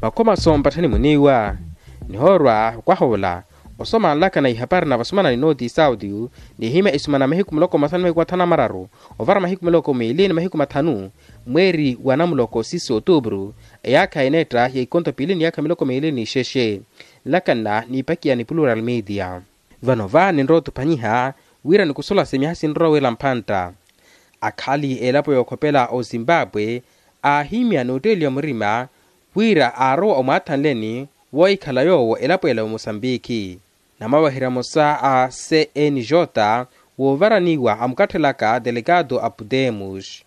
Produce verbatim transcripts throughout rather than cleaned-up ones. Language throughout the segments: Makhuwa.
Makhomaso mpatthani muniiwa nihoorwa okwaha ola osomanlaka na ihapari na vasumana ni nooti sauti, nihimya isumana mahiku muloko masanu mahiku mathanu amararu ovara mahiku muloko miili ni mahiku mathanu mweeri wa namuloko sisi otuupuru, eyaakha eneetta ya ikonto piili ni yaakha miloko miili ni ixexe. Nlakanna niipakiya ni plural media. Vano va ninrowa otupanyiha wira nikusola semyaha sinrowa wira mpantta. Akhali elapo yookhopela ozimbabwe aahimya nootteeliya murima wira aarowa omwaathanleni woohikhala yoowo elapo ela omosambiki. Namaweherya mosa a cnj woovaraniwa amukatthelaka delegado apudemos.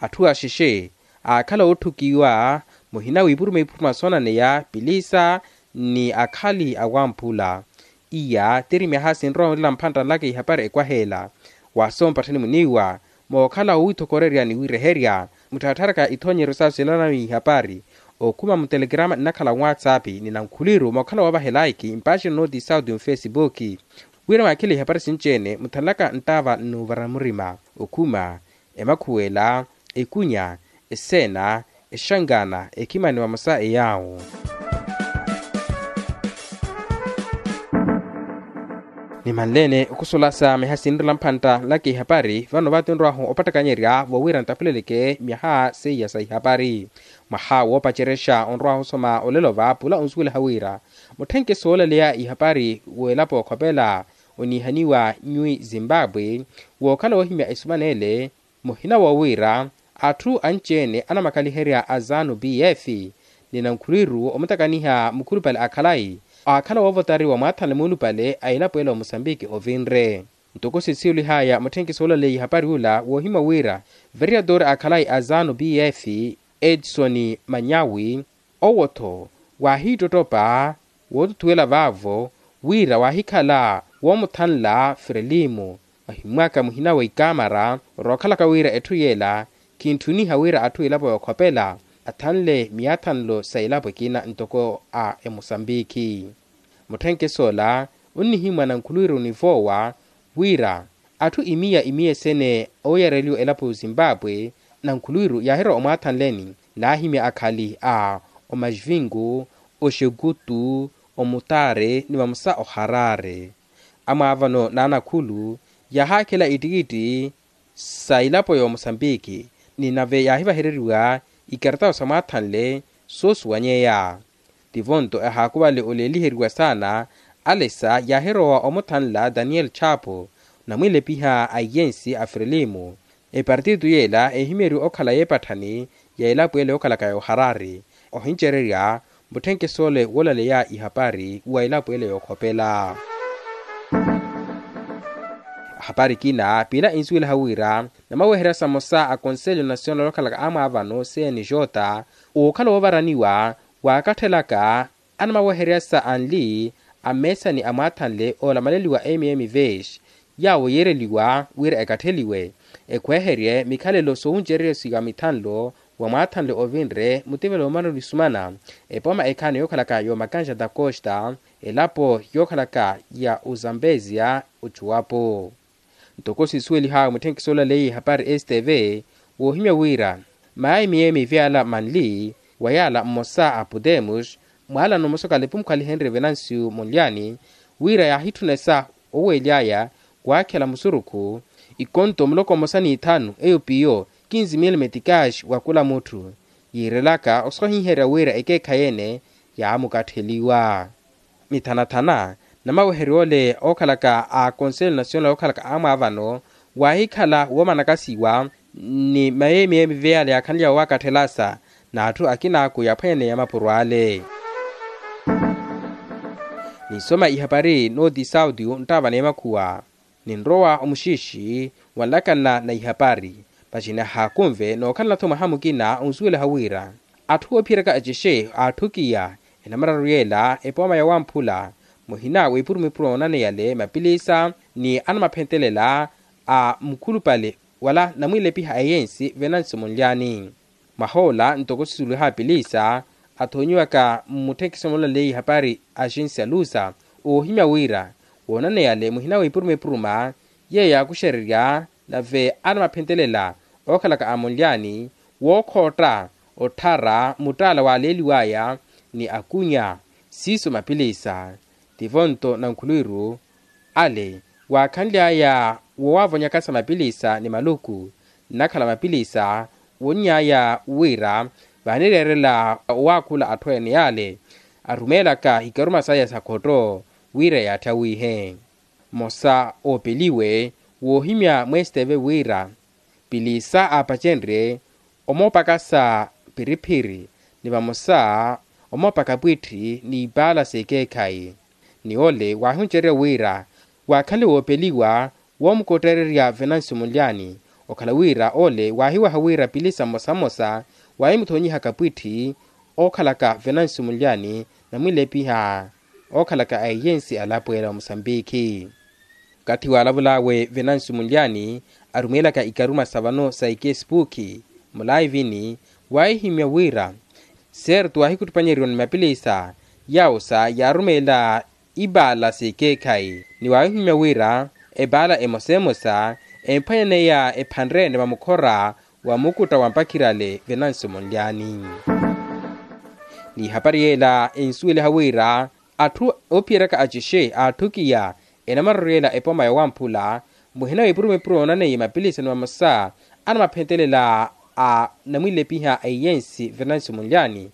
Atthu axexe aakhala ootthukiwa muhina wiipuruma ipuruma soonaneya pilisa ni akhali awamphula. Iya tiri myaha sinrowa onrela mphantta nlaka ihapari ekwaheela. Waasompatthani muniiwa mookhala woowithokorerya ni wiireherya mutthattharaka ithoonyeryo saasu silalanawi ihapari okhuma mutelekerama nnakhala nwatsapi ni nankhuliru mookhala woovahelaiki mpaxini nooti sauti mufesipuki. Wira mwaakhile ihapari sinci-ene muthanlaka nttaava nnuuvara murima okhuma emakhuwela ekunya eseena exankaana ekhimani vamosa eyaawo. Nimanleene okhusolasa myaha sinrela mphantta nlaka ihapari vano vatinrwahu opattakanyerya voowira ntapuleleke myaha seiya sa ihapari. Mwaha woopacerexa onrwahu osoma olelo va pula onsuwelaha wira mutthenke soolaleya ihapari w'elapo okhopela oniihaniwa nywi zimbabwe wookhala woohimya esumana ele. Muhina woowiira atthu anci-ene anamakaliherya a zanu pf ni nankhuliru omutakaniha mukhulupale a khalayi aakhala woovotariwa mwaathanle muulupale a elapo ela omosambiki ovinre. Ntoko sisiwelihaya mutthenki soolaleya ihapari ula woohimya wira veriyatore a khalayi a zanu pf edson manyawi owo-tho waahiittottopa wootuthuwela vaavo wira waahikhala woomuthanla frelimo. Ahimmwaka muhina wa ikamara orookhalaka wira etthu yeela kintthuniha wira atthu elapo yookhopela athanle miyaathanlo sa elapo ekina ntoko a emosambiki. Mutthenke soola onnihimmwa nankhuluwiru onivoowa wira atthu imiya imiya esene ooyareliwa elapo y'ozimbabwe nankhuluwiru yaahirowa omwaathanleni naahimya akhali a omaxvingu oxekutu omutaare ni vamosa oharare. Amwaavano n'anakhulu yaahaakhela ittikitti sa elapo y'omosambiki ni nave yaahivahereriwa ikaratawo sa mwaathanle soosuwanyeya. Tivo-nto ehaakuvale oleeliheriwa saana alesa yaahirowa omuthanla daniel chapo namwiilepiha a iyensi a frelimo. Epartito yeela eehimyeriwa okhala y'epatthani ya elapo ele yookhalaka yooharari ohincererya mutthenke soole woolaleya ihapari wa elapo ele yookhopela. Ahapari ekina piila ensuwelaha wira namaweherya samosa a konselyo nasional okhalaka amwaavano cnj ookhala woovaraniwa waakatthelaka anamaweheryasa anli a mmeesani a mwaathanle oolamaleliwa mm vesh yaawo yiireliwa wira ekatteliwe ekhweherye mikhalelo soowuncererya siwa mithanlo wa mwaathanle ovinre mutivelo omanoni sumana epooma ekhaani yookhalaka y'omakanja da costa elapo yookhalaka ya ozambezia ochuwapo. Ntoko sisuwelihaawe mutthenki soolaleiye ihapari stv woohimya wira mayayi miyeemi vyala manli wa yaala mmosa a podemos mwaalano mmosa okalepumukhalihenrye venancio monlyani wira yaahitthunesa oweely'aya waakhela musurukhu ikonto muloko mmosa n'ithanu eyo piyo kinzi mil metikaxi wa kula mutthu yiirelaka osohiherya wira ekeekhayi-ene yaamukattheliwa. Mithanathana namaweheryo ole ookhalaka a konselyo nasional ookhalaka amwaavano waahikhala woomanakasiwa ni mayeemiyeemi veyale yaakhanlyawo waakatthelasa n'atthu akinaaku yaaphwanyaneya mapuro ale. Niisoma ihapari nooti sauti nttaava n'emakhuwa ninrowa omuxiixi wanlakanna na ihapari. Paxini ahaakunve nookhalana-tho mwaha mukina onsuwelaha wira atthu oophiyeryaka ecexe aatthukiya enamararu yeela epooma yawamphula muhina w'epurumipuru oonaneyale mapilisa ni anamaphentelela a mukhulupale wala namwiilepiha a eyensi venancio monlyani. Mwahoola ntoko sisuweliha apilisa athoonyiwaka mmutthekiso moolaleya ihapari axinsi alusa oohimya wira woonaneyale muhina w'epuruma epuruma yeeyo yaakuxererya nave anamaphentelela ookhalaka a monlyani wookhootta otthara muttaala waaleeliw'aya ni akunya. Siiso mapilisa tivo nto na nkhulwiru ale waakhanly'aya wowaavonyakasa mapilisa ni maluku nnakhala mapilisa wonny'aya wira vaanireerela owaakhula atthu ene yale arumeelaka ikaruma saya sa khotto wira yaatthawihe. Mmosa oopeliwe woohimya mwesteve wira pilisa aapacenrye omoopakasa phiriphiri ni vamosa omoopaka pwitthi n'ipaala s'ekeekhayi. Ni ole waahuncererya wira waakhanle woopeliwa woomukottererya venancio munlyani okhala wira ole waahiwaha wira pilisa mmosa mmosa waahimuthonyihaka pwitthi ookhalaka venancio munlyani namwilepiha ookhalaka a eyensi alapwela omusambikhi. Okathi waalavul'awe venancio munlyani arumeelaka ikaruma sa vano sa ekesipuukhi mulaivini waahihimya wira serto waahikhuttupanyeriwa ni mapilisa yaawo sa yaarumeela ipaala s'ekeekhayi ni waahihimya wira epaala emosa emosa emphwanyaneya ephanre-ene vamukhora wa mukutta wa mpakhirale venancio munlyani. N'ihapari yeela ensuweliha wira atthu oophiyeryaka acixe aatthukiya enamaroryeela epoma yowamphula muhina w'epuruma epuro yoonaneiye mapilisa ni vamosa anamaphentelela a namwilepiha a eyensi venancio munlyani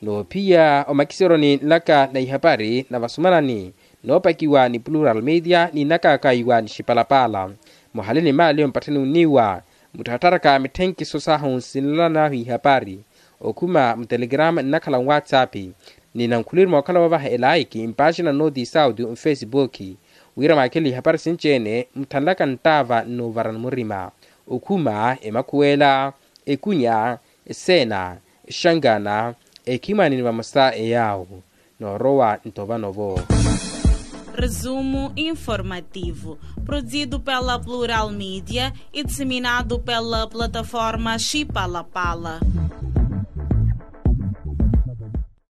noophiya omakiseroni nlaka na ihapari na vasumanani noopakiwa ni plural media ni nnakaakaiwa ni xipalapala muhale ni maali ompattheni oniiwa muttharatharaka mithenkiso sahu nsinlala nahu ihapari okhuma mutelegrama nnakhala nwatsapp ni nankhulwiri mookhala woovaha elaiki mpaaxina nooti sauti nfesipuukhi wira mwaakhele ihapari sinci-ene mutthanlaka nttaava nnuuvarani murima okhuma emakhuwela ekunya eseena exangana ekhimwani ni vamosa eyaawo noorowa nto vano-vo. Resumo informativo, produzido pela Plural Media e disseminado pela plataforma Chipalapala.